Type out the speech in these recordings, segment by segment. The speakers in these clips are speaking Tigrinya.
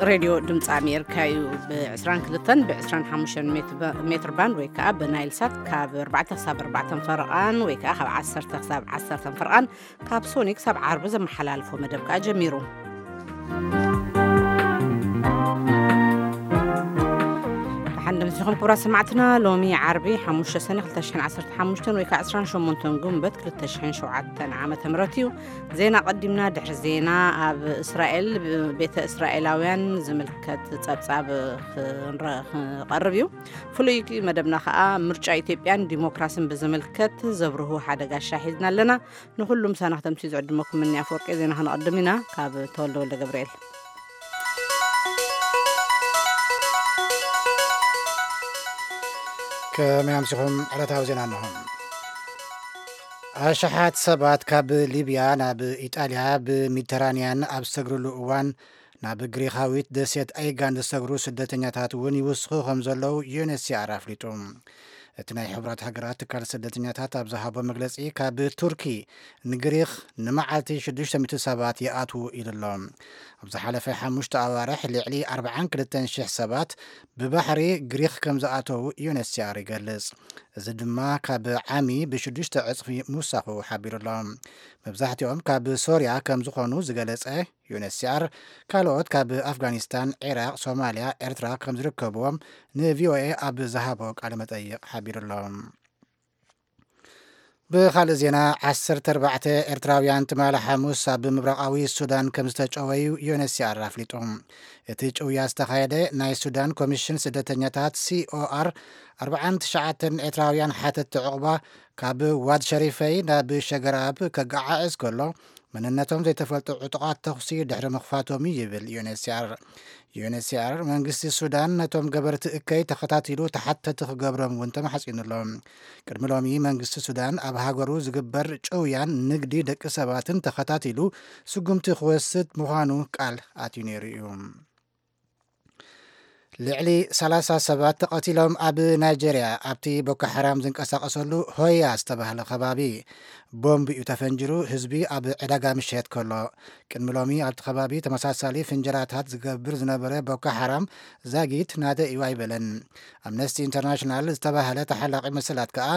ሬድዮ ድምፂ ኣሜሪካ እዩ። ብ22 ብ25 ሜትር ባንድ ወይ ከዓ ብናይል ሳት ካብ ኣርባዕተ ክሳብ ኣርባዕተ ፈረቓን ወይ ከዓ ካብ ዓሰርተ ክሳብ ዓሰርተ ፈረቓን ካብ ሶኒ ክሳብ ዓርቢ ዘመሓላልፎ መደብ ከዓ ጀሚሩ። ብሓንደ ምስኹም ክቡራት ሰማዕትና፣ ሎሚ ዓርቢ ሓሙሽተ ሰነ ክልተ ሽሕን ዓሰርተ ሓሙሽተን ወይ ከዓ ዕስራን ሸሞንተን ጉንበት ክልተ ሽሕን ሸውዓተን ዓመተ ምህረት እዩ። ዜና ቀዲምና። ድሕሪ ዜና ኣብ እስራኤል ቤተ እስራኤላውያን ዝምልከት ጸብጻብ ክንረ- ክቐርብ እዩ። ፍሉይ መደብና ከዓ ምርጫ ኢትዮጵያን ዲሞክራሲን ብዝምልከት ዘብርሁ ሓደ ጋሻ ሒዝና ኣለና። ንኹሉም ሳና ክተምሲ ዝዕድመኩም ምኒ ኣፈወርቂ። ዜና ክነቐድም ኢና። ካብ ተወልደ ወልደ ገብርኤል። ከመይ ኣምሲኹም? ዕለታዊ ዜና እንሆ። ኣሽሓት ሰባት ካብ ሊብያ ናብ ኢጣልያ ብሜዲተራንያን ኣብ ዝሰግርሉ እዋን፣ ናብ ግሪኻዊት ደሴት ኣይጋን ዝሰግሩ ስደተኛታት እውን ይውስኹ ከም ዘለዉ ዩኤንኤችሲኣር ኣፍሊጡ። እቲ ናይ ሕቡራት ሃገራት ትካል ስደተኛታት ኣብ ዝሃቦ መግለጺ፣ ካብ ቱርኪ ንግሪኽ ንመዓልቲ ሽዱሽተ ሚእቲ ሰባት ይኣትዉ ኢሉ ኣሎ። ኣብ ዝሓለፈ ሓሙሽተ ኣዋርሕ ልዕሊ ኣርባዓን ክልተን ሽሕ ሰባት ብባሕሪ ግሪኽ ከም ዝኣተዉ ዩኤንኤችሲኣር ይገልጽ። እዚ ድማ ካብ ዓሚ ብሽዱሽተ ዕጽፊ ምውሳኹ ሓቢሩ ኣሎ። መብዛሕትኦም ካብ ሶርያ ከም ዝኾኑ ዝገለጸ ዩኤንኤችሲኣር፣ ካልኦት ካብ ኣፍጋኒስታን፣ ዒራቕ፣ ሶማልያ፣ ኤርትራ ከም ዝርከብዎም ንቪኦኤ ኣብ ዝሃቦ ቃለ መጠይቕ ሓቢሩ ኣሎ። ብኻልእ ዜና፣ ዓሰርተ ኣርባዕተ ኤርትራውያን ትማሊ ሓሙስ ኣብ ምብራቓዊ ሱዳን ከም ዝተጨወዩ ዩኤንኤችሲኣር ኣፍሊጡ። እቲ ጭውያ ዝተኻየደ ናይ ሱዳን ኮሚሽን ስደተኛታት ሲኦኣር ኣርባዓን ትሽዓተን ኤርትራውያን ሓተትቲ ዕቑባ ካብ ዋድ ሸሪፈይ ናብ ሸገራብ ከገዓዕዝ ከሎ፣ መንነቶም ዘይተፈልጡ ዕጡቓት ተኹሲ ድሕሪ ምኽፋቶም እዩ ይብል ዩኤንኤችሲኣር። ዩኤንኤችሲኣር መንግስቲ ሱዳን ነቶም ገበርቲ እከይ ተኸታቲሉ ተሓተቲ ክገብሮም እውን ተማሕጺኑ ኣሎ። ቅድሚ ሎሚ መንግስቲ ሱዳን ኣብ ሃገሩ ዝግበር ጭውያን ንግዲ ደቂ ሰባትን ተኸታቲሉ ስጉምቲ ክወስድ ምዃኑ ቃል ኣትዩ ነይሩ እዩ። ልዕሊ ሰላሳ ሰባት ተቐቲሎም። ኣብ ናይጀርያ ኣብቲ ቦኮ ሓራም ዝንቀሳቐሰሉ ሆያ ዝተባህለ ከባቢ ቦምብ እዩ ተፈንጅሩ፣ ህዝቢ ኣብ ዕዳጋ ምሸት ከሎ። ቅድሚ ሎሚ ኣብቲ ከባቢ ተመሳሳሊ ፍንጀራታት ዝገብር ዝነበረ ቦኮ ሓራም ዛጊት ናደ እዩ ኣይበለን። ኣምነስቲ ኢንተርናሽናል ዝተባህለ ተሓላቒ መሰላት ከኣ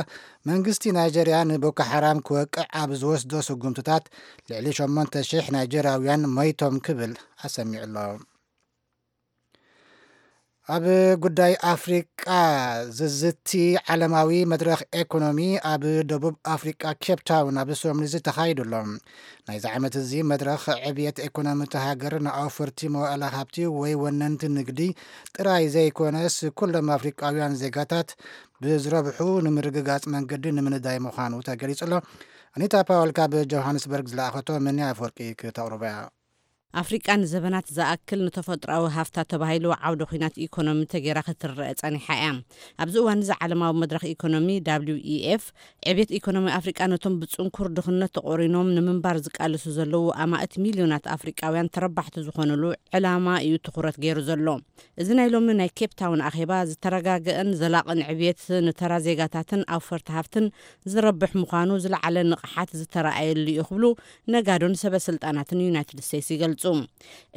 መንግስቲ ናይጀርያ ንቦኮ ሓራም ክወቅዕ ኣብ ዝወስዶ ስጉምትታት ልዕሊ ሸሞንተ ሽሕ ናይጀርያውያን ሞይቶም ክብል ኣሰሚዑ ኣሎ። ኣብ ጉዳይ ኣፍሪቃ ዝዝቲ ዓለማዊ መድረኽ ኤኮኖሚ ኣብ ደቡብ ኣፍሪቃ ኬፕ ታውን ኣብ ሶምሊዚ ተኻይዱ ኣሎ። ናይዚ ዓመት እዚ መድረኽ ዕብየት ኤኮኖሚ እቲ ሃገር ንኣውፈርቲ መዋእለ ሃብቲ ወይ ወነንቲ ንግዲ ጥራይ ዘይኮነስ ኩሎም ኣፍሪቃውያን ዜጋታት ብዝረብሑ ንምርግጋጽ መንገዲ ንምንዳይ ምዃኑ ተገሊጹ ኣሎ። ኣኒታ ፓወል ካብ ጆሃንስበርግ ዝለኣኸቶ ምንያ ኣፈወርቂ ክተቕርቦ እያ። ኣፍሪቃ ንዘበናት ዝኣክል ንተፈጥሮኣዊ ሃፍታ ተባሂሉ ዓውደ ኲናት ኢኮኖሚ ተገይራ ክትረአ ጸኒሓ እያ። ኣብዚ እዋን እዚ ዓለማዊ መድረኽ ኢኮኖሚ ደብሊው ኢ ኤፍ ዕብየት ኢኮኖሚ ኣፍሪቃ ነቶም ብጽንኩር ድኽነት ተቖሪኖም ንምንባር ዝቃለሱ ዘለዉ ኣማእት ሚልዮናት ኣፍሪቃውያን ተረባሕቲ ዝኾኑሉ ዕላማ እዩ ትኹረት ገይሩ ዘሎ። እዚ ናይ ሎሚ ናይ ኬፕ ታውን ኣኼባ ዝተረጋገአን ዘላቕን ዕብየት ንተራ ዜጋታትን ኣውፈርቲ ሃፍትን ዝረብሕ ምዃኑ ዝለዓለ ንቕሓት ዝተረኣየሉ እዩ ክብሉ ነጋዶን ሰበ ስልጣናትን ዩናይትድ ስቴትስ ይገልጹ።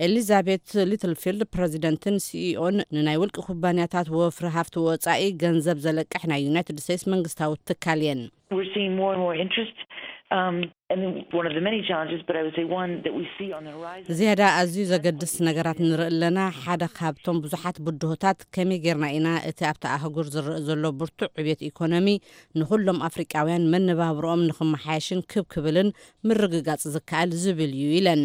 ኤሊዛቤት ሊትልፊልድ ፕረዚደንትን ሲኢኦን ንናይ ውልቂ ኩባንያታት ወፍሪ ሃፍቲ ወጻኢ ገንዘብ ዘለቅሕ ናይ ዩናይትድ ስቴትስ መንግስታዊ ትካል እየን። We're seeing more and more interest. Um, and then one of the many challenges, but I would say one that we see on the horizon. ዝያዳ ኣዝዩ ዘገድስ ነገራት ንርኢ ኣለና። ሓደ ካብቶም ብዙሓት ብድሆታት፣ ከመይ ጌርና ኢና እቲ ኣብቲ ኣህጉር ዝረአ ዘሎ ብርቱዕ ዕብየት ኢኮኖሚ ንኹሎም ኣፍሪቃውያን መነባብሮኦም ንኽመሓየሽን ክብ ክብልን ምርግጋጽ ዝከኣል ዝብል እዩ ኢለን።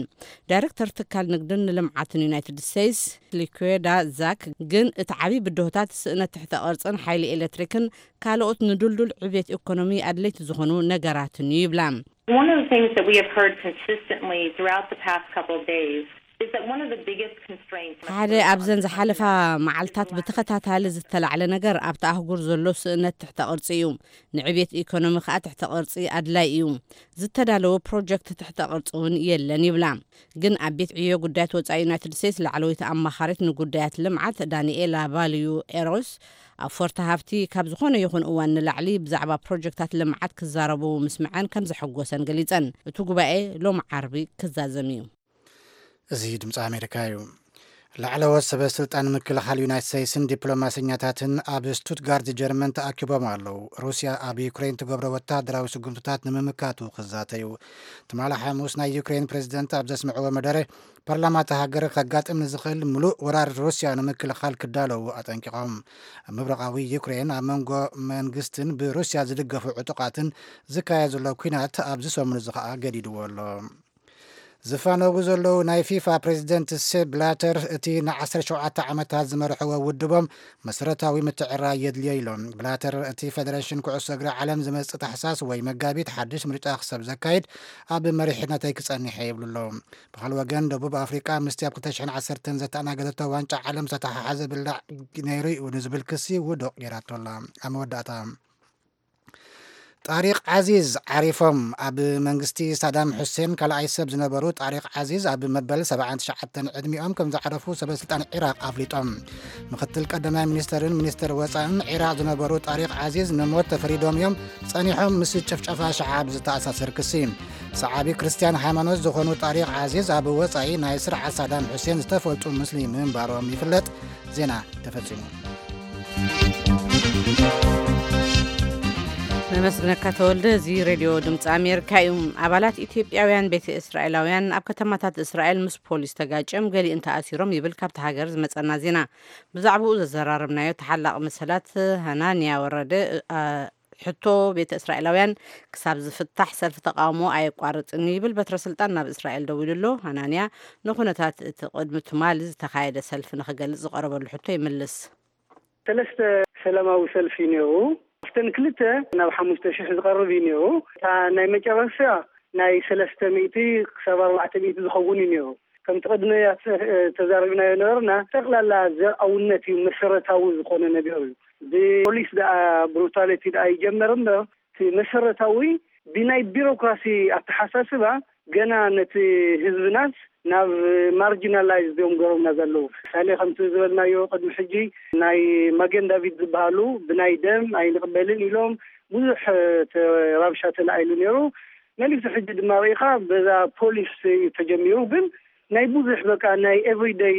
ዳይሬክተር ትካል ንግድን ልምዓትን ዩናይትድ ስቴትስ ሊኩዌዳ ዛክ ግን እቲ ዓብዪ ብድሆታት ስእነት ትሕተ ቅርጽን ሓይሊ ኤሌክትሪክን ካልኦት ንዱልዱል ዕብየት ኢኮኖሚ ኣድለይቲ ዝኾኑ ነገራትን እዩ ይብላ። One of the things that we have heard consistently throughout the past couple of days is that one of the biggest constraints on ሓደ ኣብዘን ዝሓለፋ መዓልታት ብተኸታታሊ ዝተላዕለ ነገር ኣብቲ ኣህጉር ዘሎ ስእነት ትሕተ ቅርጺ እዩ። ንዕብየት ኢኮኖሚ ከኣ ትሕተ ቅርጺ ኣድላይ እዩ። ዝተዳለወ ፕሮጀክት ትሕተ ቅርጺ እውን የለን ይብላ። ግን ኣብ ቤት ዕዮ ጉዳያት ወጻኢ ዩናይትድ ስቴትስ ላዕለወይቲ ኣማኻሪት ንጉዳያት ልምዓት ዳንኤላ ባልዩ ኤሮስ፣ ኣውፈርቲ ሃፍቲ ካብ ዝኾነ ይኹን እዋን ንላዕሊ ብዛዕባ ፕሮጀክታት ልምዓት ክዛረቡ ምስምዐን ከም ዘሐጎሰን ገሊጸን። እቲ ጉባኤ ሎም ዓርቢ ክዛዘም እዩ። እዚ ድምፂ ኣሜሪካ እዩ። ላዕለዎት ሰበ ስልጣን ምክልኻል ዩናይትድ ስቴትስን ዲፕሎማሰኛታትን ኣብ ስቱትጋርት ጀርመን ተኣኪቦም ኣለዉ። ሩስያ ኣብ ዩክሬን ትገብሮ ወታደራዊ ስጉምትታት ንምምካቱ ክዛተዩ። ትማሊ ሓሙስ ናይ ዩክሬን ፕሬዝደንት ኣብ ዘስምዕዎ መደረ፣ ፓርላማ እታ ሃገር ከጋጥም ንዝኽእል ምሉእ ወራር ሩስያ ንምክልኻል ክዳለዉ ኣጠንቂቖም። ኣብ ምብራቓዊ ዩክሬን ኣብ መንጎ መንግስትን ብሩስያ ዝድገፉ ዕጡቓትን ዝካየድ ዘሎ ኲናት ኣብዚ ሰሙን እዚ ኸኣ ገዲድዎ ኣሎ። ዝፋነዉ ዘለዉ ናይ ፊፋ ፕሬዚደንት ሴፕ ብላተር፣ እቲ ን ዓሰርተ ሸውዓተ ዓመታት ዝመርሕዎ ውድቦም መሰረታዊ ምትዕርራይ የድልዮ ኢሎም። ብላተር፣ እቲ ፌደሬሽን ኩዕሶ እግሪ ዓለም ዝመጽእ ታሕሳስ ወይ መጋቢት ሓድሽ ምርጫ ክሰብ ዘካይድ ኣብ መሪሕነተይ ክጸንሕ እየ ይብሉ ኣለዉ። ብኻልእ ወገን፣ ደቡብ ኣፍሪቃ ምስቲ ኣብ ክልተ ሽሕን ዓሰርተን ዘተኣናገደቶ ዋንጫ ዓለም ዝተተሓሓዘ ብላዕ ነይሩ እዩ ንዝብል ክሲ ውዱቕ ገይራቶ ኣላ። ኣብ መወዳእታ፣ ጣሪቕ ዓዚዝ ዓሪፎም። ኣብ መንግስቲ ሳዳም ሑሴን ካልኣይ ሰብ ዝነበሩ ጣሪቕ ዓዚዝ ኣብ መበል ሰብዓን ትሽዓተን ዕድሚኦም ከም ዝዓረፉ ሰበ ስልጣን ዒራቕ ኣፍሊጦም። ምክትል ቀዳማይ ሚኒስተርን ሚኒስተር ወጻእን ዒራቕ ዝነበሩ ጣሪቕ ዓዚዝ ንሞት ተፈሪዶም እዮም፣ ጸኒሖም ምስ ጭፍጨፋ ሸዓብ ዝተኣሳሰር ክሲ። ሰዓቢ ክርስትያን ሃይማኖት ዝኾኑ ጣሪቕ ዓዚዝ ኣብ ወጻኢ ናይ ስርዓት ሳዳም ሑሴን ዝተፈልጡ ሙስሊም ምንባሮም ይፍለጥ። ዜና ተፈጺሙ። ነመስግነካ ተወልደ። እዚ ሬድዮ ድምፂ ኣሜሪካ እዩ። ኣባላት ኢትዮጵያውያን ቤተ እስራኤላውያን ኣብ ከተማታት እስራኤል ምስ ፖሊስ ተጋጭዮም ገሊእን ተኣሲሮም ይብል ካብቲ ሃገር ዝመፀና ዜና። ብዛዕባኡ ዘዘራረብናዮ ተሓላቂ መሰላት ሃናንያ ወረደ፣ አ፣ ሕቶ ቤተ እስራኤላውያን ክሳብ ዝፍታሕ ሰልፊ ተቃውሞ ኣየቋርፅን እዩ ይብል። በትረ ስልጣን ናብ እስራኤል ደዊሉ ኣሎ። ሃናንያ ንኩነታት እቲ ቅድሚ ትማሊ ዝተኻየደ ሰልፊ ንክገልፅ ዝቀረበሉ ሕቶ ይምልስ። ሰለስተ ሰላማዊ ሰልፊ ነይሩ። ኣብተን ክልተ ናብ ሓሙሽተ ሽሕ ዝቐርብ እዩ ነይሩ። እታ ናይ መጨረሻ ናይ ሰለስተ ሚእቲ ክሳብ ኣርባዕተ ሚእቲ ዝኸውን እዩ ነይሩ። ከምቲ ቅድመያ ተ-፣ ተዛሪብናዮ ነበርና፣ ጠቕላላ ዘርኣውነት እዩ መሰረታዊ ዝኾነ ነገር እዩ። ብፖሊስ ደኣ ብሩታሊቲ ደኣ ይጀመር እምበር፣ እቲ መሰረታዊ ብናይ ቢሮክራሲ ኣተሓሳስባ ገና ነቲ ህዝብናስ ናብ ማርጂናላይዝ እዮም ገሮምና ዘለዉ። ምሳሌ ከምቲ ዝበልናዮ ቅድሚ ሕጂ ናይ መገን ዳቪድ ዝበሃሉ ብናይ ደም ኣይንቕበልን ኢሎም ብዙሕ ተ-፣ ረብሻ ተላዒሉ ነይሩ። መሊሱ ሕጂ ድማ ርኢኻ በዛ ፖሊስ እዩ ተጀሚሩ። ግን ናይ ብዙሕ በቃ ናይ ኤቭሪደይ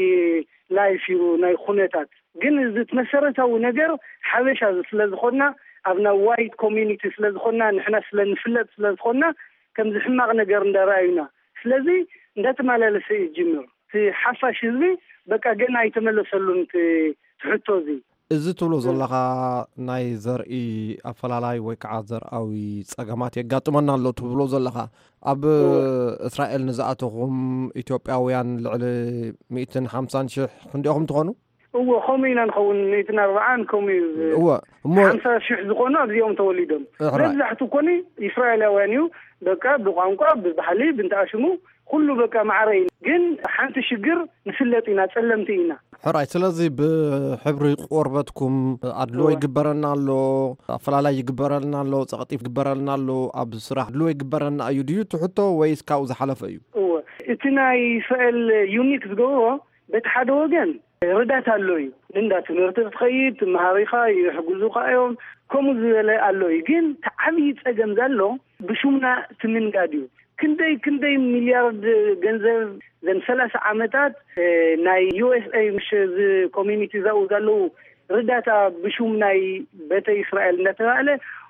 ላይፍ እዩ ናይ ኩነታት። ግን እዚ እቲ መሰረታዊ ነገር ሓበሻ ስለ ዝኾንና፣ ኣብ ናይ ዋይት ኮሚኒቲ ስለ ዝኾንና፣ ንሕና ስለ ንፍለጥ ስለ ዝኾንና፣ ከምዚ ሕማቕ ነገር እንዳረኣዩና። ስለዚ እንዳተመላለሰ እዩ ዝጅምር። እቲ ሓፋሽ ህዝቢ በቃ ገና ኣይተመለሰሉን እቲ፣ እቲ ሕቶ እዚ። እዚ ትብሎ ዘለኻ ናይ ዘርኢ ኣፈላላይ ወይ ከዓ ዘርኣዊ ጸገማት የጋጥመና ኣሎ ትብሎ ዘለኻ፣ ኣብ እወ። እስራኤል ንዝኣተኹም ኢትዮጵያውያን ልዕሊ ሚእትን ሓምሳን ሽሕ ክንዲኦም ትኾኑ? እወ፣ ከምኡ ኢና ንኸውን። ሚእትን ኣርባዓን ከምኡ እዩ። እወ፣ እሞ ሓምሳ ሽሕ ዝኾኑ ኣብዚኦም ተወሊዶም። ሕራይ። መብዛሕቱ ኮኒ እስራኤላውያን እዩ። በቃ ብቋንቋ፣ ብባህሊ፣ ብንትኣሽሙ ኩሉ በቃ ማዕረ እዩ። ግን ሓንቲ ሽግር ንፍለጥ ኢና፣ ጸለምቲ ኢና። ሕራይ፣ ስለዚ ብሕብሪ ቆርበትኩም ኣድልዎ እወ። ይግበረና ኣሎ፣ ኣፈላላይ ይግበረልና ኣሎ፣ ጸቕጢ ይግበረልና ኣሎ፣ ኣብ ስራሕ ኣድልዎ ይግበረና እዩ ድዩ እቲ ሕቶ ወይስ ካብኡ ዝሓለፈ እዩ? እወ፣ እቲ ናይ እስራኤል ዩኒክ ዝገብሮ በቲ ሓደ ወገን ርዳት ኣሎ እዩ። እንዳ ትምህርቲ ክትኸይድ፣ ትመሃር ኢኻ፣ ይሕግዙኻ እዮም፣ ከምኡ ዝበለ ኣሎ እዩ። ግን እቲ ዓብዪ ጸገም ዘሎ ብሹምና እቲ ምንጋድ እዩ። ክንደይ ክንደይ ሚልያርድ ገንዘብ ዘን ሰላሳ ዓመታት፣ እ፣ ናይ ዩ ኤስ ኤ ምሽ እዚ ኮሚኒቲ ዛኡ ዘለዉ ርዳታ ብሹም ናይ ቤተ እስራኤል እንዳተባህለ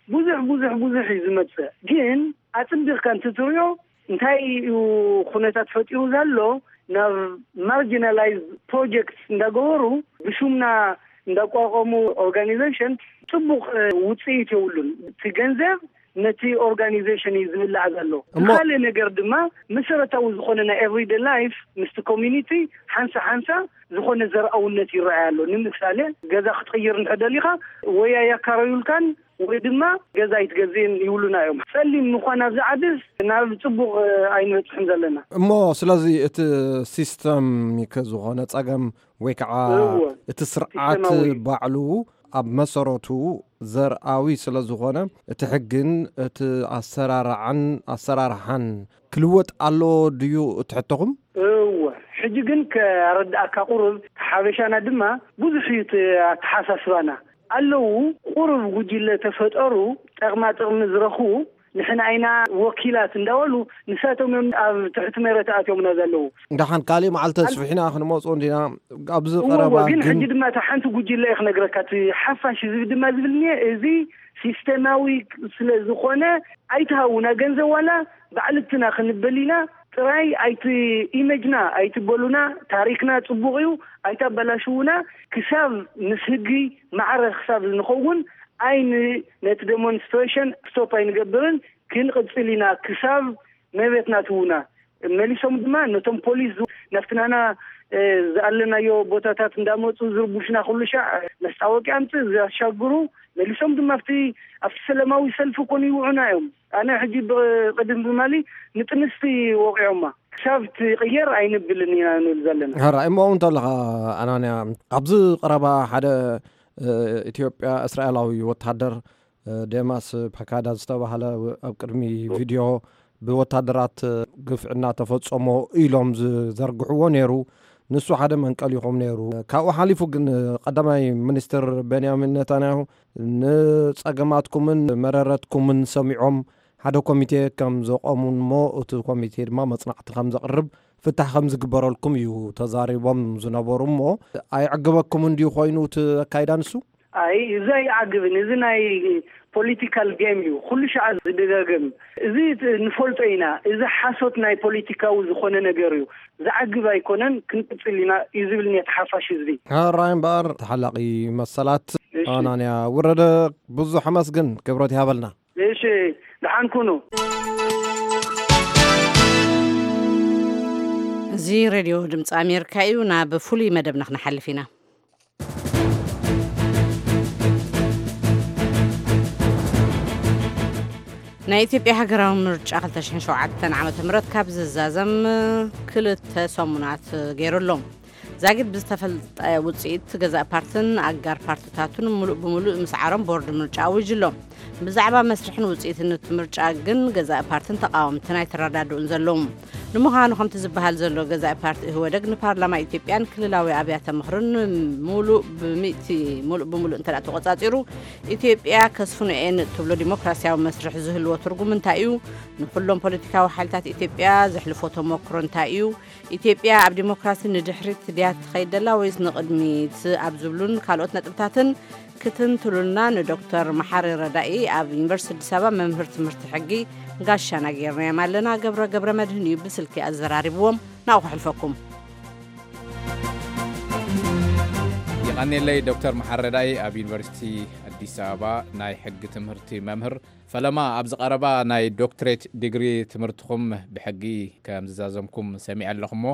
ብዙሕ ብዙሕ ብዙሕ እዩ ዝመጽእ። ግን ኣጽቢቕካ እንትትሪኦ እንታይ እዩ ኩነታት ፈጢሩ ዘሎ? ናብ ማርጂናላይዝ ፕሮጀክት እንዳገበሩ ብሹምና እንዳቋቋሙ ኦርጋኒዜሽን ጽቡቕ፣ እ፣ ውጽኢት የብሉን። እቲ ገንዘብ ነቲ ኦርጋኒዜሽን እዩ ዝብላዕ ዘሎ። እሞ ካልእ ነገር ድማ መሰረታዊ ዝኾነ ናይ ኤቭሪዴ ላይፍ ምስቲ ኮሚኒቲ ሓንሳ ሓንሳ ዝኾነ ዘርኣውነት ይረኣይ ኣሎ። ንምሳሌ ገዛ ክትቕይር እንተ ደሊኻ ወይ ኣያካረዩልካን ወይ ድማ ገዛ ኣይትገዝእን ይብሉና እዮም። ጸሊም ምዃን ኣብዚ ዓድስ ናብ ጽቡቕ፣ እ፣ ኣይንበጽሕን ዘለና። እሞ ስለዚ እቲ ሲስተም ከ ዝኾነ ጸገም ወይ ከዓ እወ። እቲ ስርዓት ሲስተማዊ። ባዕሉ ኣብ መሰረቱ ዘርኣዊ ስለ ዝኾነ፣ እቲ ሕግን እቲ ኣሰራርዓን ኣሰራርሓን ክልወጥ ኣለዎ ድዩ እቲ ሕቶኹም? እወ። ሕጂ ግን ከረድኣካ ቁሩብ፣ ሓበሻና ድማ ብዙሕ እዩ እቲ ኣተሓሳስባና። ኣለዉ ቁሩብ ጉጅለ ተፈጠሩ፣ ጠቕማ ጥቕሚ ዝረኽቡ፣ ንሕና ኢና ወኪላት እንዳበሉ ንሳቶም እዮም ኣብ ትሕቲ መሬት ኣትዮምና ዘለዉ። ደሓን ካሊእ መዓልቲ ኣን- ኣስፊሕና ክንመፁ እንዲና። ኣብዚ እዎ፣ ቀረባ ግን ግን ሕጂ ድማ እታ ሓንቲ ጉጅለ እየ ክነግረካ። እቲ ሓፋሽ ህዝቢ ድማ ዝብል እኒሀ፣ እዚ ሲስተማዊ ስለ ዝኾነ ኣይትሃውና ገንዘብ፣ ዋላ ባዕልትና ክንበል ኢና ጥራይ። ኣይቲ ኢመጅና ኣይትበሉና። ታሪክና ጽቡቕ እዩ፣ ኣይታበላሽውና። ክሳብ ምስ ህጊ ማዕረ ክሳብ ንኸውን ኣይን ነቲ ዴሞንስትሬሽን ስቶፕ ኣይንገብርን። ክንቕጽል ኢና ክሳብ መቤትና ትውና። መሊሶም ድማ ነቶም ፖሊስ ዝ- ናብቲ ናና እ፣ ዝኣለናዮ ቦታታት እንዳመጹ ዝርቡሽና ኩሉ ሻዕ መስታወቂያ ኣምጽእ ዘሻግሩ። መሊሶም ድማ ኣብቲ ኣብቲ ሰላማዊ ሰልፊ ኮን ይውዑና እዮም። ኣነ ሕጂ ብቕድም ብማሊ ንጥንስቲ ወቂዖማ። ክሳብ ትቕየር ኣይንብልን ኢና ንብል ዘለና። ሕራይ እሞ እውን እንተለኻ ኣናንያ፣ ኣብዚ ቀረባ ሓደ እ፣ ኢትዮጵያ እስራኤላዊ ወታደር እ፣ ዴማስ ፓካዳ ዝተባህለ ኣብ ቅድሚ ቪድዮ ብወታደራት ግፍዕና ተፈጸሞ ኢሎም ዝዘርግሕዎ ነይሩ። ንሱ ሓደ መንቀሊኹም ነይሩ። ካብኡ ሓሊፉ ግን ቀዳማይ ሚኒስትር ቤንያሚን ኔታንያሁ ንጸገማትኩምን መረረትኩምን ሰሚዖም ሓደ ኮሚቴ ከም ዘቆሙን እሞ እቲ ኮሚቴ ድማ መጽናዕቲ ከም ዘቕርብ ፍታሕ ከም ዝግበረልኩም እዩ ተዛሪቦም ዝነበሩ። እሞ ኣይዕግበኩም እንድዩ ኮይኑ እቲ ኣካይዳ ንሱ? ኣይ፣ እዚ ኣይዓግብን። እዚ ናይ ፖለቲካል ጌም እዩ፣ ኩሉ ሻዕ ዝደጋገም። እዚ ት- ንፈልጦ ኢና። እዚ ሓሶት ናይ ፖለቲካዊ ዝኾነ ነገር እዩ። ዝዓግብ ኣይኮነን። ክንቅጽል ኢና እዩ ዝብል ነቲ ሓፋሽ ህዝቢ። ሕራይ እምበኣር ተሓላቒ መሰላት እሺ። ኣናንያ ውረደ፣ ብዙሕ ኣመስግን፣ ክብረት ይሃበልና። እሺ፣ ደሓን ኩኑ። እዚ ሬድዮ ድምፂ ኣሜሪካ እዩ። ናብ ፍሉይ መደብና ክንሓልፍ ኢና። ናይ ኢትዮጵያ ሃገራዊ ምርጫ ክልተ ሽሕን ሸውዓተን ዓመተ ምህረት ካብ ዝዛዘም ክልተ ሰሙናት ገይሩ ኣሎ። ዛጊድ ብዝተፈልጠ ውፅኢት ገዛእ ፓርትን ኣጋር ፓርትታቱን ሙሉእ ብሙሉእ ምስዓሮም ቦርድ ምርጫ ኣዊጁ ኣሎ። ብዛዕባ መስርሕን ውፅኢትን እቲ ምርጫ ግን ገዛእ ፓርትን ተቃወምትን ኣይተረዳድኡን ዘለዉ። ንምዃኑ ከምቲ ዝበሃል ዘሎ ገዛኢ ፓርቲ ኢህወደግ ንፓርላማ ኢትዮጵያን ክልላዊ ኣብያተ ምኽርን ሙሉእ ብሚእቲ ሙሉእ ብሙሉእ እንተ ተቆጻጺሩ ኢትዮጵያ ከስፍኖ እየን እትብሎ ዲሞክራሲያዊ መስርሕ ዝህልዎ ትርጉም እንታይ እዩ? ንኹሎም ፖለቲካዊ ሓይልታት ኢትዮጵያ ዘሕልፎ ተሞክሮ እንታይ እዩ? ኢትዮጵያ ኣብ ዲሞክራሲ ንድሕሪት ድያ ትኸይድ ደላ ወይስ ንቕድሚት? ኣብ ዝብሉን ካልኦት ነጥብታትን ክትንትሉልና ንዶክተር መሓሪ ረዳኢ ኣብ ዩኒቨርሲቲ ኣዲስ ኣበባ መምህር ትምህርቲ ሕጊ ጋሻና ጌርናዮም ኣለና። ገብረ ገብረ መድህን እዩ ብስልኪ ኣዘራሪብዎም። ናብኡ ከሕልፈኩም። የቐንየለይ ዶክተር መሓሪ ረዳኢ ኣብ ዩኒቨርሲቲ ኣዲስ ኣበባ ናይ ሕጊ ትምህርቲ መምህር። ፈለማ ኣብዚ ቀረባ ናይ ዶክትሬት ዲግሪ ትምህርትኹም ብሕጊ ከም ዝዛዘምኩም ሰሚዐ ኣለኹሞ፣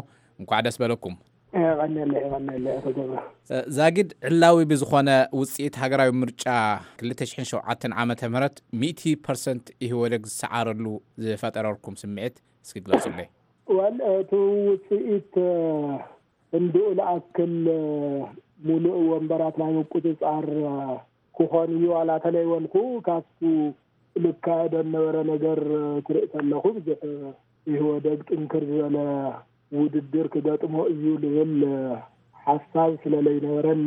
እንኳዕ ደስ በለኩም። የቐንየለይ፣ የቐንየለይ ኣቶ ገብረ። እ፣ ዛጊድ ዕላዊ ብዝኾነ ውፅኢት ሃገራዊ ምርጫ ክልተ ሽሕን ሸውዓተን ዓመተ ምህረት ሚእቲ ፐርሰንት ኢህወደግ ዝሰዓረሉ ዝፈጠረልኩም ስምዒት እስኪ ግለጹለይ። ዋል፣ እቲ ውፅኢት፣ እ፣ እንድኡ ልኣክል፣ እ፣ ሙሉእ ወንበራት ናይ ምቁፅፃር፣ እ፣ ክኾን እዩ ዋላ ተለይበልኩ ካብቱ ልካየዶ ነበረ ነገር፣ እ፣ ክርኢ ከለኹ ብዙሕ፣ እ፣ ኢህወደግ ጥንክር ዝበለ ውድድር ክገጥሞ እዩ ልብል፣ እ፣ ሓሳብ ስለ ለይነበረኒ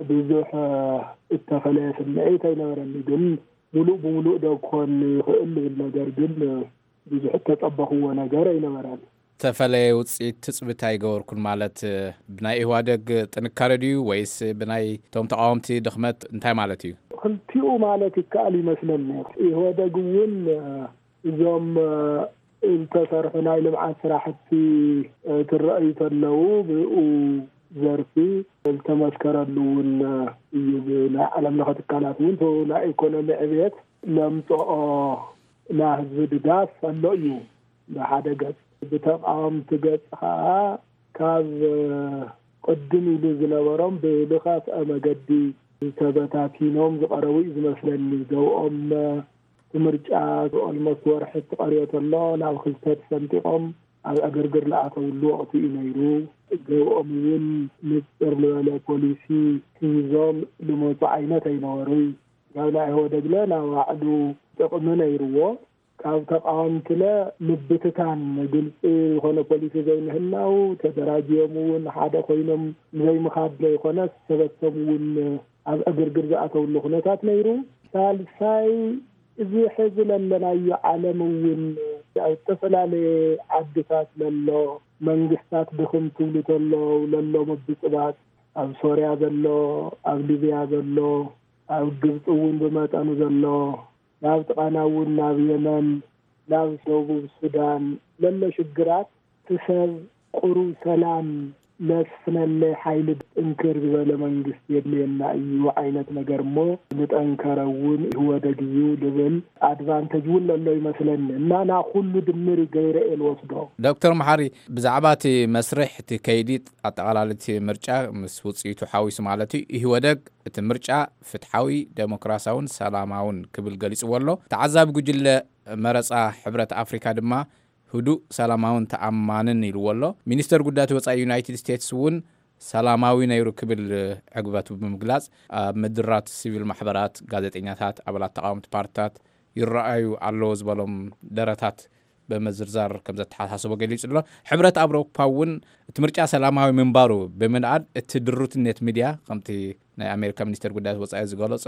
ብዙሕ፣ እ፣ እተፈለየ ስምዒት ኣይነበረኒ። ግን ሙሉእ ብሙሉእ ዶ ክኾን ይኽእል ልብል ነገር ግን፣ እ፣ ብዙሕ እተጸበኽዎ ነገር ኣይነበረን። እተፈለየ ውጽኢት ትጽቢት ኣይገበርኩን ማለት፣ እ፣ ብናይ ኢህዋደግ ጥንካረ ድዩ ወይስ ብናይ እቶም ተቃወምቲ ድኽመት እንታይ ማለት እዩ? ክልቲኡ ማለት ይከኣል ይመስለኒ። ኢህወደግ እውን፣ እ፣ እዞም፣ እ፣ ዝተሰርሑ ናይ ልምዓት ስራሕቲ፣ እ፣ ክረኣዩ ተለዉ ብኡ ዘርፊ ዝተመስከረሉ እውን፣ እ፣ እዩ። ብናይ ዓለም ለኸ ትካላት እውን እቲ ናይ ኢኮኖሚ ዕብየት ለምፅኦ ናይ ህዝቢ ድጋፍ ኣሎ እዩ ብሓደ ገፅ። ብተቃወምቲ ገፅ ከዓ ካብ፣ እ፣ ቅድም ኢሉ ዝነበሮም ብዝኸፍአ መገዲ ዝተበታቲኖም ዝቐረቡ እዩ ዝመስለኒ። ገውኦም፣ እ፣ እቲ ምርጫ ኦልሞስት ወርሒ ተቐርዮ ተሎ ናብ ክልተ ተሰንጢቖም ኣብ ዕግርግር ዝኣተውሉ ወቕቲ እዩ ነይሩ። ገውኦም እውን ንፅር ዝበለ ፖሊሲ ሒዞም ዝመፁ ዓይነት ኣይነበሩይ። ካብ ናይ ኢህወደግለ ናይ ባዕሉ ጥቕሚ ነይርዎ። ካብ ተቃወምትለ ምብትታን፣ ግልፂ ዝኾነ ፖሊሲ ዘይምህላው፣ ተደራጅዮም እውን ሓደ ኮይኖም ዘይምኻድ ዘይኮነስ ሰበቶም እውን ኣብ ዕግርግር ዝኣተውሉ ኩነታት ነይሩ። ሳልሳይ እዚ ሕዚ ለለናዮ ዓለም እውን ኣብ ዝተፈላለየ ዓድታት ለሎ መንግስታት ድኽም ትብሉ ተለዉ ለሎ ምብጽባጽ፣ ኣብ ሶርያ ዘሎ፣ ኣብ ሊብያ ዘሎ፣ ኣብ ግብጺ እውን ብመጠኑ ዘሎ፣ ናብ ጥቓና እውን ናብ የመን፣ ናብ ደቡብ ሱዳን ለሎ ሽግራት፣ እቲ ሰብ ቁሩብ ሰላም ለስፍነለይ ሓይሊ ጥንክር ዝበለ መንግስቲ የድልየና እዩ ዓይነት ነገር እሞ፣ ዝጠንከረ እውን ኢህወደግ እዩ ልብል ኣድቫንተጅ እውን ለሎ ይመስለኒ። እና ና ኩሉ ድምር ገይረ እየ ልወስዶ። ዶክተር መሓሪ፣ ብዛዕባ እቲ መስርሕ፣ እቲ ከይዲ ኣጠቓላሊ እቲ ምርጫ ምስ ውፅኢቱ ሓዊሱ ማለት እዩ፣ ኢህወደግ እቲ ምርጫ ፍትሓዊ፣ ዴሞክራሲያውን ሰላማውን ክብል ገሊፅዎ ኣሎ። ተዓዛቢ ጉጅለ መረፃ ሕብረት ኣፍሪካ ድማ ህዱእ፣ ሰላማውን ተኣማንን ኢልዎ ኣሎ። ሚኒስተር ጉዳያት ወጻኢ ዩናይትድ ስቴትስ እውን ሰላማዊ ነይሩ ክብል ዕግበቱ ብምግላጽ፣ ኣብ ምድራት ሲቪል ማሕበራት፣ ጋዜጠኛታት፣ ኣባላት ተቃወምቲ ፓርትታት ይረኣዩ ኣለዉ ዝበሎም ደረታት ብምዝርዛር ከም ዘተሓሳስቦ ገሊጹ ኣሎ። ሕብረት ኣውሮፓ እውን እቲ ምርጫ ሰላማዊ ምንባሩ ብምንኣድ፣ እቲ ድሩትነት ሚድያ፣ ከምቲ ናይ ኣሜሪካ ሚኒስተር ጉዳያት ወጻኢ ዝገለጾ፣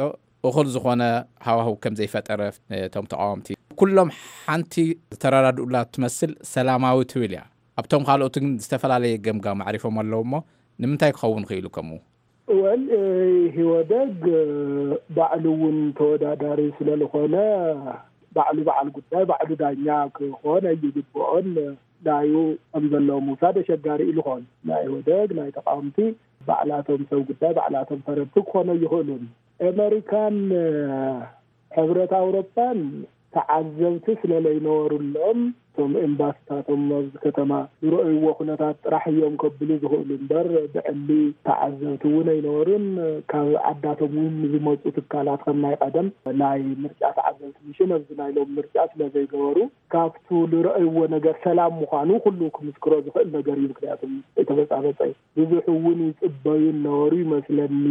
እኹል ዝኾነ ሃዋህው ከም ዘይፈጠረ እቶም ተቃወምቲ፣ ኩሎም ሓንቲ ዝተረዳድኡላ ትመስል ሰላማዊ ትብል እያ። ኣብቶም ካልኦት ግን ዝተፈላለየ ገምጋም ኣዕሪፎም ኣለዉ እሞ፣ ንምንታይ ክኸውን ክኢሉ ከምኡ? ወል፣ እ፣ ኢህወደግ፣ እ፣ ባዕሉ እውን ተወዳዳሪ ስለ ዝኾነ፣ ባዕሉ በዓል ጉዳይ፣ ባዕሉ ዳኛ ክኾን ኣይግብኦን። ናዩ ከም ዘለዉ ምውሳድ ኣሸጋሪ ኢሉ ኾን። ናይ ኢህወደግ፣ ናይ ተቃወምቲ፣ ባዕላቶም ሰብ ጉዳይ፣ ባዕላቶም ፈረድቲ ክኾኑ ኣይኽእሉን። ኣመሪካን፣ እ፣ ሕብረት ኣውሮፓን ተዓዘብቲ ስለ ለይነበሩሎም፣ እቶም ኤምባሲታቶም ኣብዚ ከተማ ዝረኣይዎ ኩነታት ጥራሕ እዮም ከብሉ ዝኽእሉ እምበር፣ ብዕሊ ተዓዘብቲ እውን ኣይነበሩን። ካብ ዓዳቶም እውን ዝመፁ ትካላት ከም ናይ ቀደም ናይ ምርጫ ተዓዘብቲ ሚሽን ኣብዚ ናይ ሎም ምርጫ ስለ ዘይገበሩ፣ ካብቱ ዝረኣይዎ ነገር ሰላም ምዃኑ ኩሉ ክምስክሮ ዝኽእል ነገር እዩ። ምክንያቱም ኣይተበጻበጸ ብዙሕ እውን ይጽበዩ ነበሩ ይመስለኒ።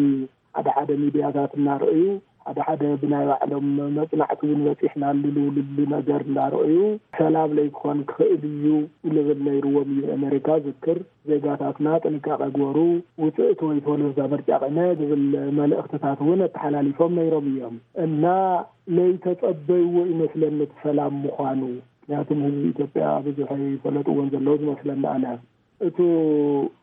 ሓደ ሓደ ሚድያታት እናረኣዩ፣ ሓደ ሓደ ብናይ ባዕሎም መጽናዕቲ እውን በጺሕናሉ ልብሉ ነገር እናረኣዩ፣ ሰላም ለይክኾን ክኽእል እዩ ልብል ነይርዎም እዩ። ኣሜሪካ ዝክር፣ ዜጋታትና ጥንቃቐ ግበሩ፣ ውጽእ ትወይትወሉ እዛ ምርጫ ቐነ ዝብል መልእኽትታት እውን ኣተሓላሊፎም ነይሮም እዮም። እና ለይተጸበይዎ ይመስለኒ እቲ ሰላም ምዃኑ። ምክንያቱም ህዝቢ ኢትዮጵያ ብዙሕ ኣይፈለጥዎን ዘለዉ ዝመስለኒ ኣነ። እቱ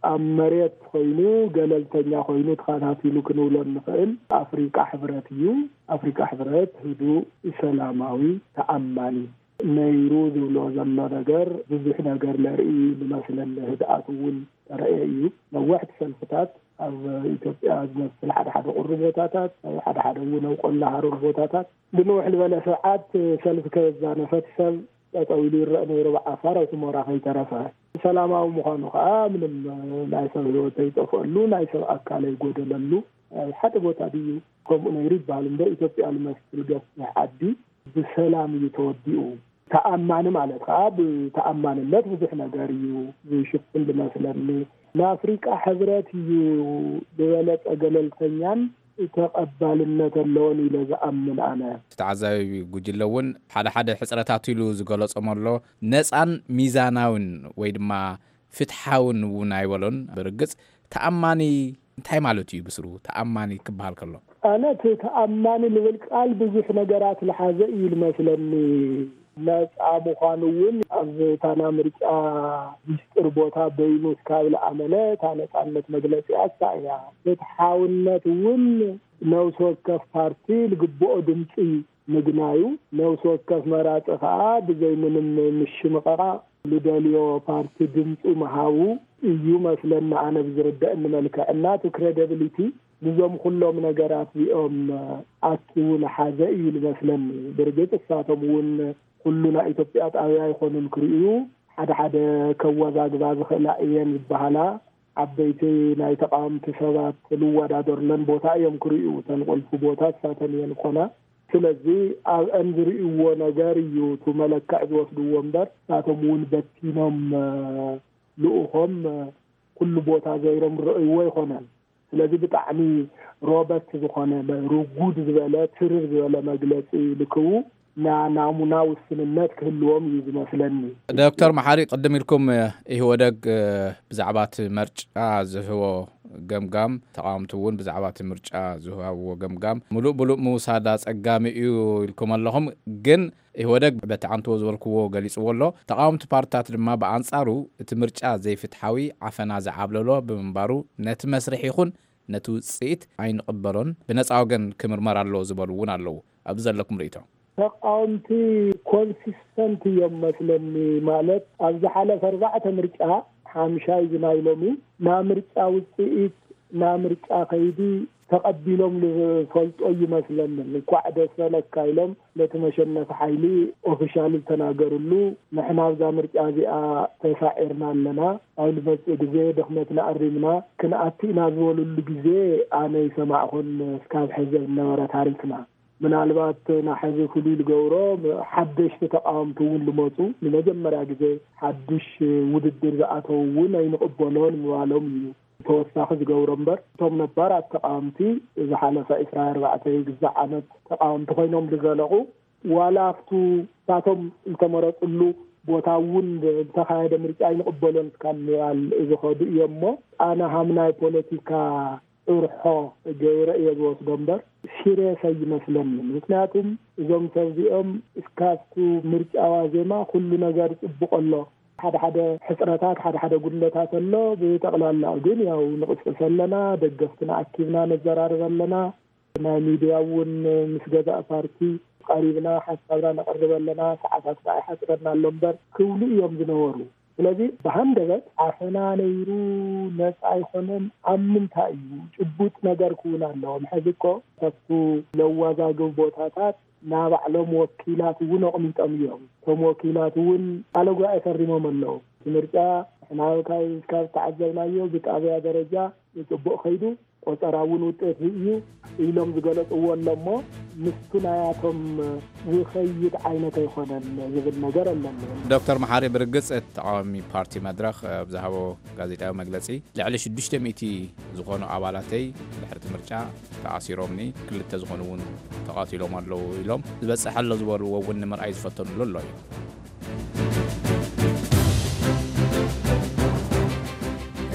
ኣብ መሬት ኮይኑ፣ ገለልተኛ ኮይኑ ተኸታቲሉ ክንብሎ እንኽእል ኣፍሪቃ ሕብረት እዩ። ኣፍሪቃ ሕብረት ህዱእ፣ ሰላማዊ፣ ተኣማኒ ነይሩ ዝብሎ ዘሎ ነገር ብዙሕ ነገር ለርኢ ዝመስለኒ። ህድኣት እውን ተረእየ እዩ። ነዋሕቲ ሰልፍታት ኣብ ኢትዮጵያ ዝመስል ሓደ ሓደ ቁሪ ቦታታት፣ ኣብ ሓደ ሓደ እውን ኣብ ቆላ ሃሩር ቦታታት ብንውሕ ዝበለ ሰዓት ሰልፊ ከየዛነፈት ሰብ ጠጠው ኢሉ ይረአ ነይሩ። ብዓፋር ኣብ ሑመራ ከይተረፈ ሰላማዊ ምዃኑ ከዓ ምንም ናይ ሰብ ህይወት ዘይጠፍአሉ፣ ናይ ሰብ ኣካል ኣይጎደለሉ ሓደ ቦታ ድዩ? ከምኡ ነይሩ ይበሃል እምበር ኢትዮጵያ ዝመስል ገፊሕ ዓዲ ብሰላም እዩ ተወዲኡ። ተኣማኒ ማለት ከዓ ብተኣማንነት ብዙሕ ነገር እዩ ዝሽፍን ዝመስለኒ። ንኣፍሪቃ ሕብረት እዩ ዝበለጸ ገለልተኛን ተቐባልነት ኣለዎን ኢለ ዝኣምን ኣነ። እቲ ተዓዛቢ ጉጅለ እውን ሓደ ሓደ ሕጽረታት ኢሉ ዝገለጾም ኣሎ። ነጻን ሚዛናውን ወይ ድማ ፍትሓውን እውን ኣይበሎን። ብርግጽ ተኣማኒ እንታይ ማለት እዩ ብስሩ? ተኣማኒ ክበሃል ከሎ? ኣነ እቲ ተኣማኒ ልብል ቃል ብዙሕ ነገራት ዝሓዘ እዩ ዝመስለኒ። ነጻ ምዃኑ እውን ኣብ ታና ምርጫ ሚስጥር ቦታ በይኑ እስካብ ዝኣመነ እታ ነጻነት መግለጺኣ እሳ እያ። ፍትሓውነት እውን ነብሲ ወከፍ ፓርቲ ዝግብኦ ድምፂ ምግናዩ፣ ነብሲ ወከፍ መራፂ ከዓ ብዘይ ምንም ምሽምቐቓ ልደልዮ ፓርቲ ድምፁ ምሃቡ እዩ መስለኒ ኣነ ብዝርደእኒ መልክዕ። እና እቲ ክሬዲብሊቲ ንዞም ኩሎም ነገራት እዚኦም ኣኪቡ ዝሓዘ እዩ ዝመስለኒ። ብርግፅ እሳቶም እውን ኩሉ ናይ ኢትዮጵያ ጣብያ ኣይኮኑን ክርእዩ፣ ሓደ ሓደ ከወዛግባ ዝኽእላ እየን ዝበሃላ ዓበይቲ ናይ ተቃወምቲ ሰባት ዝወዳደሩለን ቦታ እዮም ክርእዩ። እተን ቁልፊ ቦታ እሳተን እየን ኮና። ስለዚ ኣብአን ዝርእይዎ ነገር እዩ እቲ መለክዕ ዝወስድዎ እምበር፣ እሳቶም እውን በቲኖም፣ እ፣ ልኡኾም፣ እ፣ ኩሉ ቦታ ዘይሮም ዝረእይዎ ኣይኮነን። ስለዚ ብጣዕሚ ሮበስት ዝኾነ፣ ርጉድ ዝበለ፣ ትርር ዝበለ መግለጺ ልክቡ፣ ና-፣ ናሙና ውስንነት ክህልዎም እዩ ዝመስለኒ። ዶክተር መሓሪ፣ ቅድም ኢልኩም፣ እ፣ ኢህወደግ፣ እ፣ ብዛዕባ እቲ መርጫ ዝህቦ ገምጋም፣ ተቓወምቲ እውን ብዛዕባ እቲ ምርጫ ዝሃብዎ ገምጋም ምሉእ ብሉእ ምውሳድ ኣጸጋሚ እዩ ኢልኩም ኣለኹም። ግን ኢህወደግ በቲ ዓንትዎ ዝበልክዎ ገሊጽዎ ኣሎ። ተቓወምቲ ፓርትታት ድማ ብኣንጻሩ እቲ ምርጫ ዘይፍትሓዊ፣ ዓፈና ዝዓብለሎ ብምንባሩ ነቲ መስርሕ ይኹን ነቲ ውጽኢት ኣይንቕበሎን፣ ብነጻ ወገን ክምርመር ኣለዎ ዝበሉ እውን ኣለዉ። ኣብዚ ዘለኩም ርእይቶ? ተቃወምቲ ኮንሲስተንት እዮም መስለኒ። ማለት ኣብ ዝሓለፈ ኣርባዕተ ምርጫ ሓምሻይ እዚ ናይ ሎሚ፣ ናይ ምርጫ ውጽኢት፣ ናይ ምርጫ ከይዲ ተቐቢሎም ዝፈልጦ ይመስለኒ። እንኳዕ ደስ በለካ ኢሎም ነቲ መሸነፊ ሓይሊ ኦፊሻል ዝተናገርሉ፣ ንሕና ኣብዛ ምርጫ እዚኣ ተሳዒርና ኣለና፣ ኣብ ንመጽእ ግዜ ድኽመትና ኣሪምና ክንኣቱ ኢና ዝበሉሉ ግዜ ኣነ ይሰማዕኩን እስካብ ሕዚ ዝነበረ ታሪኽና። ምናልባት ናሕዚ ፍሉይ ዝገብሮ ሓደሽቲ ተቃወምቲ እውን ልመፁ ንመጀመርያ ግዜ ሓድሽ ውድድር ዝኣተው እውን ኣይንቕበሎን ምባሎም እዩ። ተወሳኺ ዝገብሮ እምበር እቶም ነባራት ተቃወምቲ ዝሓለፈ ዕስራ ኣርባዕተ ግዛዕ ዓመት ተቃወምቲ ኮይኖም ዝዘለቑ ዋላ ኣብቱ እሳቶም ዝተመረፅሉ ቦታ እውን ዝተኻየደ ምርጫ ኣይንቕበሎን እስካብ ምባል ዝኸዱ እዮም እሞ ኣነ ሃም ናይ ፖለቲካ ጭርሖ ገይረ እየ ዝወስዶ እምበር ሲሪየስ ኣይመስለንን። ምክንያቱም እዞም ሰብ እዚኦም እስካብቱ ምርጫ ዋዜማ ኩሉ ነገር ጽቡቕ ኣሎ። ሓደ ሓደ ሕጽረታት፣ ሓደ ሓደ ጉድለታት ኣሎ። ብጠቕላላኡ ግን ያው ንቕስቅስ ኣለና፣ ደገፍትና ኣኪብና ነዘራርብ ኣለና። ናይ ሚድያ እውን ምስ ገዛእ ፓርቲ ቀሪብና ሓሳብና ነቕርብ ኣለና። ሰዓታት ከዓ ይሓጽረና ኣሎ እምበር ክብሉ እዮም ዝነበሩ። ስለዚ ብሃንደበት ዓፈና ነይሩ ነፃ ኣይኮነን ኣብ ምንታይ እዩ? ጭቡጥ ነገር ክውን ኣለዎም። ሕዚ እኮ ካብቱ ለዋዛግብ ቦታታት ናባዕሎም ወኪላት እውን ኣቕሚጦም እዮም። እቶም ወኪላት እውን ቃለ ጉባኤ ፈሪሞም ኣለዉ። እቲ ምርጫ ንሕና ካብ ካብ ዝተዓዘብናዮ ብጣብያ ደረጃ ብፅቡቕ ከይዱ ቆፀራ እውን ውጤት እዩ ኢሎም ዝገለፅዎ ኣሎ እሞ ምስቱ ናያቶም ዝኸይድ ዓይነት ኣይኮነን ዝብል ነገር ኣለኒ። ዶክተር መሓሪ ብርግፅ እቲ ተቃዋሚ ፓርቲ መድረኽ ኣብ ዝሃቦ ጋዜጣዊ መግለፂ ልዕሊ ሽዱሽተ ሚእቲ ዝኾኑ ኣባላተይ ድሕሪ እቲ ምርጫ ተኣሲሮምኒ፣ ክልተ ዝኾኑ እውን ተቐቲሎም ኣለዉ ኢሎም ዝበፅሕ ኣሎ ዝበልዎ እውን ንምርኣይ ዝፈተኑሉ ኣሎ እዩ።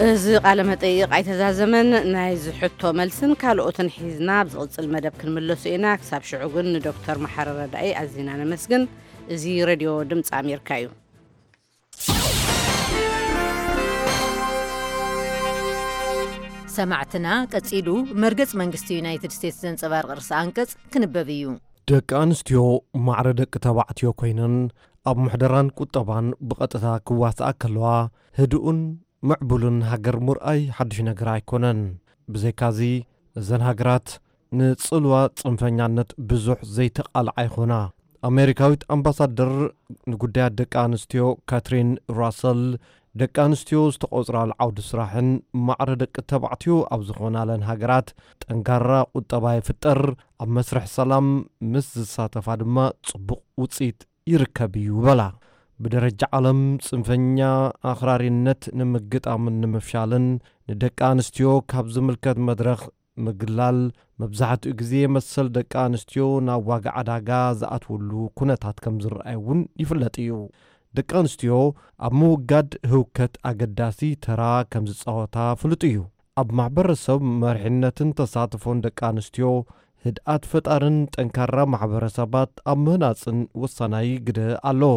እዚ ቃለ መጠይቕ ኣይተዛዘመን። ናይዚ ሕቶ መልስን ካልኦትን ሒዝና ኣብ ዝቕጽል መደብ ክንምለሱ ኢና። ክሳብ ሽዑ ግን ንዶክተር መሓሪ ረዳኢ ኣዚና ነመስግን። እዚ ሬድዮ ድምፂ ኣሜሪካ እዩ። ሰማዕትና፣ ቀጺሉ መርገጽ መንግስቲ ዩናይትድ ስቴትስ ዘንጸባርቕ ርእሰ ኣንቀጽ ክንበብ እዩ። ደቂ ኣንስትዮ ማዕረ ደቂ ተባዕትዮ ኮይነን ኣብ ምሕደራን ቁጠባን ብቐጥታ ክዋስኣ ከለዋ ህዱእን ምዕቡልን ሃገር ምርኣይ ሓድሽ ነገር ኣይኮነን። ብዘይካዚ እዘን ሃገራት ንጽልዋ ጽንፈኛነት ብዙሕ ዘይተቓልዓ ይኾና። ኣሜሪካዊት ኣምባሳደር ንጉዳያት ደቂ ኣንስትዮ ካትሪን ራሰል ደቂ ኣንስትዮ ዝተቖጽራሉ ዓውዲ ስራሕን ማዕረ ደቂ ተባዕትዮ ኣብ ዝኾናለን ሃገራት ጠንካራ ቁጠባ ይፍጠር፣ ኣብ መስርሕ ሰላም ምስ ዝሳተፋ ድማ ጽቡቕ ውጽኢት ይርከብ እዩ በላ። ብደረጃ ዓለም ጽንፈኛ ኣኽራሪነት ንምግጣምን ንምፍሻልን ንደቂ ኣንስትዮ ካብ ዝምልከት መድረኽ ምግላል መብዛሕትኡ ግዜ መሰል ደቂ ኣንስትዮ ናብ ዋጋ ዕዳጋ ዝኣትውሉ ኩነታት ከም ዝረኣይ እውን ይፍለጥ እዩ። ደቂ ኣንስትዮ ኣብ ምውጋድ ህውከት ኣገዳሲ ተራ ከም ዝጻወታ ፍሉጥ እዩ። ኣብ ማሕበረሰብ መሪሕነትን ተሳትፎን ደቂ ኣንስትዮ ህድኣት ፈጣርን ጠንካራ ማሕበረሰባት ኣብ ምህናፅን ወሳናይ ግደ ኣለዎ።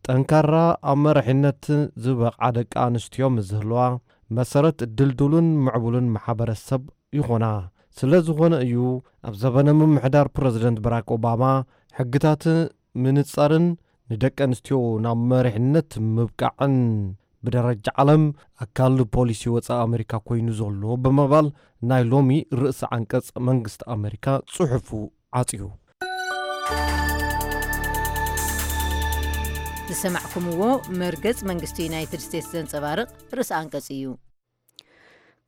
ጠንካራ ኣብ መሪሕነት ዝበቕዓ ደቂ ኣንስትዮ ምስ ዝህልዋ መሰረት ድልዱልን ምዕቡልን ማሕበረሰብ ይኾና። ስለ ዝኾነ እዩ ኣብ ዘበነ ምምሕዳር ፕረዚደንት በራክ ኦባማ ሕግታት ምንጻርን ንደቂ ኣንስትዮ ናብ መሪሕነት ምብቃዕን ብደረጃ ዓለም ኣካል ፖሊሲ ወጻኢ ኣሜሪካ ኮይኑ ዘሎ ብምባል ናይ ሎሚ ርእሰ ዓንቀጽ መንግስቲ ኣሜሪካ ጽሑፉ ዓጽዩ። ዝሰማዕኩምዎ መርገጽ መንግስቲ ዩናይትድ ስቴትስ ዘንጸባርቕ ርእሰ ኣንቀጽ እዩ።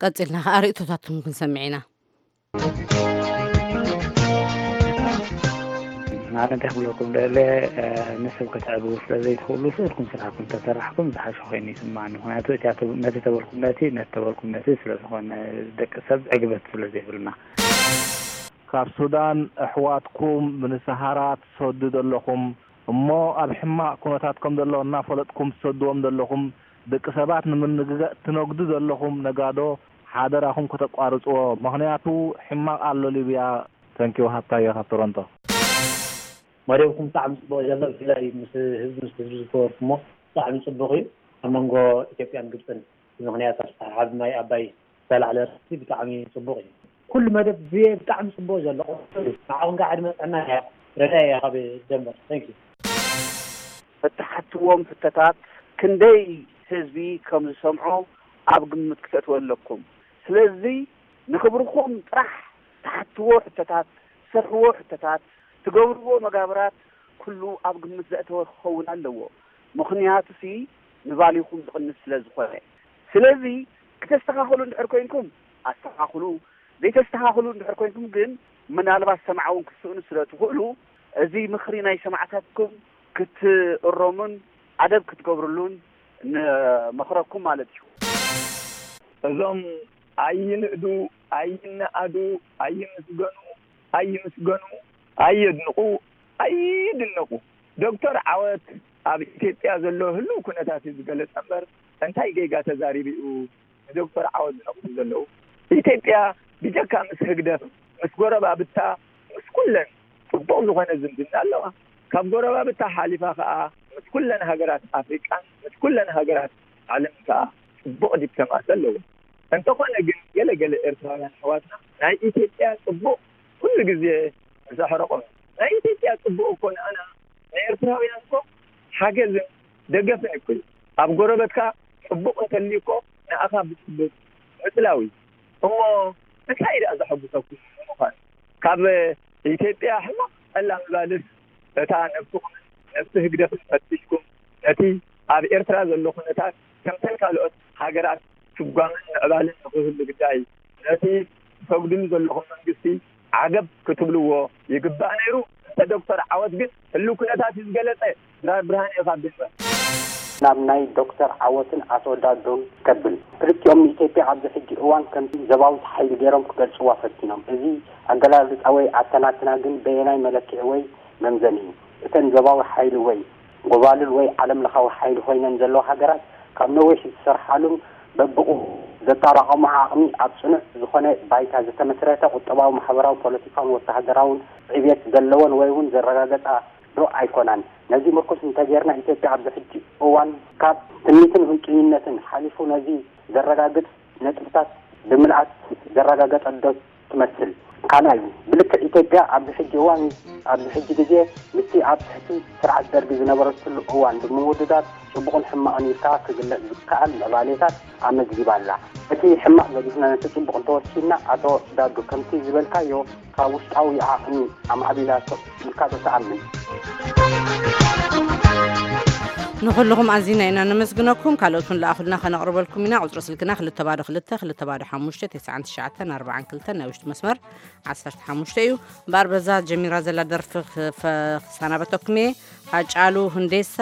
ቀጺልና ከኣ ርእይቶታትኩም ክንሰምዕ ኢና። ንዓለም እንታይ ክብለኩም ደለ ንስብ ከተዕብቡ ስለ ዘይትኽእሉ ስእልኩም ስራሕኩም ተሰራሕኩም ዝሓሸ ኮይኑ ይስማዓኒ። ምክንያቱ እቲ ኣተ- ነቲ ተበልኩም ነቲ ነቲ ተበልኩም ነቲ ስለ ዝኾነ ደቂ ሰብ ዕግበት ስለ ዘይብልና። ካብ ሱዳን ኣሕዋትኩም ንሰሃራ ትሰዱ ዘለኹም እሞ ኣብ ሕማቕ ኩነታት ከም ዘሎ እናፈለጥኩም ትሰድዎም ዘለኹም ደቂ ሰባት ንምንግጋእ ትነግዱ ዘለኹም ነጋዶ ሓደራኹም ከተቋርፅዎ፣ ምኽንያቱ ሕማቕ ኣሎ ሊብያ። ተንኪው ሃብታየ ካብ ቶሮንቶ። መደብኩም ብጣዕሚ ፅቡቅ ዘሎ፣ ብፍላይ ምስ ህዝቢ ምስ ህዝቢ ዝገበርኩሞ ብጣዕሚ ፅቡቅ እዩ። ኣብ መንጎ ኢትዮጵያን ግብፅን ብምኽንያት ኣሰሓሓብ ማይ ኣባይ ዝተላዕለ ርእሲ ብጣዕሚ ፅቡቅ እዩ። ኩሉ መደብ ብየ ብጣዕሚ ፅቡቅ ዘሎ፣ ንዓኹም ከዓ ዕድመ ጥዕና እያ። ረዳ እያ ካብ ደንበር። Thank you። እትሓትዎም ሕቶታት ክንደይ ህዝቢ ከም ዝሰምዖ ኣብ ግምት ክተእትዎ ኣለኩም። ስለዚ ንኽብርኹም ጥራሕ ትሓትዎ ሕቶታት፣ ትሰርሕዎ ሕቶታት፣ ትገብርዎ መጋብራት ኩሉ ኣብ ግምት ዘእተወ ክኸውን ኣለዎ። ምኽንያቱሲ ንባሊኹም ዝቕንስ ስለ ዝኾነ። ስለዚ ክተስተኻኽሉ እንድሕር ኮይንኩም ኣስተኻኽሉ፣ ዘይተስተኻኽሉ እንድሕር ኮይንኩም ግን ምናልባት ሰምዓ እውን ክትስእኑ ስለ ትኽእሉ እዚ ምኽሪ ናይ ሰማዕታትኩም ክትእረሙን ኣደብ ክትገብርሉን ንመኽረኩም ማለት እዩ። እዞም ኣይንእዱ፣ ኣይነኣዱ፣ ኣይምስገኑ፣ ኣይምስገኑ፣ ኣየድንቑ፣ ኣይድነቑ። ዶክተር ዓወት ኣብ ኢትዮጵያ ዘሎ ህልው ኩነታት እዩ ዝገለጸ እምበር እንታይ ጌጋ ተዛሪቡ እዩ ንዶክተር ዓወት ዝነቕፉ ዘለዉ? ኢትዮጵያ ብጀካ ምስ ህግደፍ ምስ ጎረባብታ ምስ ኩለን ጽቡቕ ዝኾነ ዝምድና ኣለዋ። ካብ ጎረባብታ ሓሊፋ ከኣ ምስ ኩለን ሃገራት ኣፍሪቃን ምስ ኩለን ሃገራት ዓለምን ከኣ ጽቡቕ ዲፕሎማሲ ኣለዎ። እንተኾነ ግን ገለ ገለ ኤርትራውያን ኣሕዋትና ናይ ኢትዮጵያ ጽቡቕ ኩሉ ግዜ ምስ ኣሕረቖም፣ ናይ ኢትዮጵያ ጽቡቕ እኮ ንኣና ንኤርትራውያን እኮ ሓገዝን ደገፍን እኮ እዩ። ኣብ ጎረበትካ ጽቡቕ እንተልዩ እኮ ንኣኻ ብጽቡቕ ምጽላው እዩ። እሞ እንታይ ደኣ ዘሐጉሰኩም ንምዃኑ? ካብ ኢትዮጵያ ሕማቕ ጠላ ምባልስ እታ ነብስኹምን ነብሲ ህግደፍን ፈቲሽኩም ነቲ ኣብ ኤርትራ ዘሎ ኩነታት ከምተን ካልኦት ሃገራት ስጓምን ምዕባልን ንኽህሉ ግዳይ ነቲ ትሰጉድሉ ዘለኹም መንግስቲ ዓገብ ክትብልዎ ይግባእ ነይሩ። እንተ ዶክተር ዓወት ግን ህልው ኩነታት እዩ ዝገለጸ። ድራር ብርሃን እየ ካብ ድንበር። ናብ ናይ ዶክተር ዓወትን ኣቶ ዳዶን ከብል። ክልቲኦም ንኢትዮጵያ ኣብዚ ሕጂ እዋን ከምቲ ዘባዊት ሓይሊ ገይሮም ክገልጽዋ ፈቲኖም። እዚ ኣገላልጻ ወይ ኣተናትና ግን በየናይ መለክዒ ወይ መምዘኒ እዩ? እተን ዘባዊ ሓይሊ ወይ ጎባልል ወይ ዓለም ለኻዊ ሓይሊ ኮይነን ዘለዋ ሃገራት ካብ ነዊሕ ዝሰርሓሉን በብኡ ዘጣራቐምኦ ዓቕሚ ኣብ ጽኑዕ ዝኾነ ባይታ ዝተመስረተ ቁጠባዊ፣ ማሕበራዊ፣ ፖለቲካውን ወተሃደራውን ዕብየት ዘለወን ወይ እውን ዘረጋገጻ ዶ ኣይኮናን? ነዚ ምርኩስ እንተጌርና ኢትዮጵያ ኣብዚ ሕጂ እዋን ካብ ትምኒትን ቁርጠኝነትን ሓሊፉ ነዚ ዘረጋግጽ ነጥብታት ብምልኣት ዘረጋገጸት ዶ ትመስል? ካልኣይ፣ ብልክዕ ኢትዮጵያ ኣብዚ ሕጂ እዋን ኣብዚ ሕጂ ግዜ ምስቲ ኣብ ትሕቲ ስርዓት ደርጊ ዝነበረትሉ እዋን ብምውድዳር ጽቡቕን ሕማቕን ኢልካ ክግለጽ ዝከኣል ምዕባሌታት ኣመዝጊባ ኣላ። እቲ ሕማቕ ገዲፍና ነቲ ጽቡቕ እንተወሲድና ኣቶ ዳዱ ከምቲ ዝበልካዮ ካብ ውሽጣዊ ዓቕሚ ኣማዕቢላቶ ኢልካ ዶ ትኣምን? ንኹልኹም ኣዚና ኢና ነመስግነኩም። ካልኦት እውን ለኣኹልና ከነቕርበልኩም ኢና። ቁጽሪ ስልክና ክልተ ባዶ ክልተ ክልተ ባዶ ሓሙሽተ ተስዓን ትሽዓተን ኣርባዓን ክልተን ናይ ውሽጢ መስመር ዓሰርተ ሓሙሽተ እዩ። እምበኣር በዛ ጀሚራ ዘላ ደርፊ ክፈ- ክሰናበተኩም እየ። ሃጫሉ ሁንዴሳ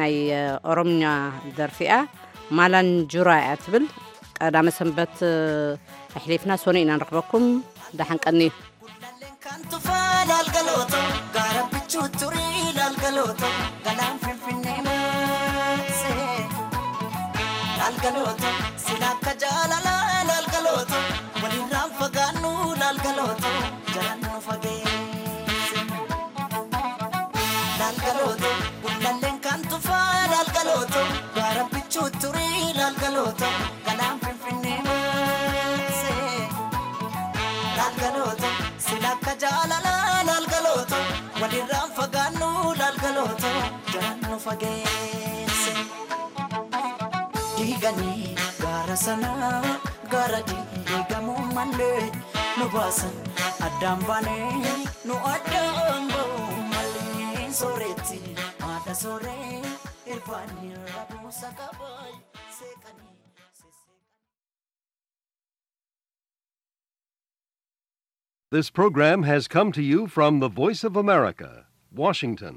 ናይ ኦሮምኛ ደርፊ እያ። ማላንጁራ እያ ትብል። ቀዳመ ሰንበት ኣሕሊፍና ሰኑይ ኢና ንረኽበኩም። ደሓን ቀንዩ። Gullalleen kan tufaa laal galooto, gaara bichuu turii laal galooto, galaan finfinnee maasee. Laal galooto, sila akka jaalalaa laal galooto, walirraan fagaannu laal galooto, jalaan nu fageesse. Laal galooto, gullalleen kan tufaa laal galooto, gaara bichuu turii laal galooto, galaan finfinnee maasee. Laal galooto, sila akka jaalalaa laal galooto, walirraan fagaannu laal galooto, jalaan nu fageesse. Diiganii gaara sana, gaara diigamuu malee nu baasan, addaan baanee nu addaan ba'uu malee. Sooretti haadha sooree irbaanii rabuusa qabaay seeqanii. This program has come to you from the Voice of America, Washington.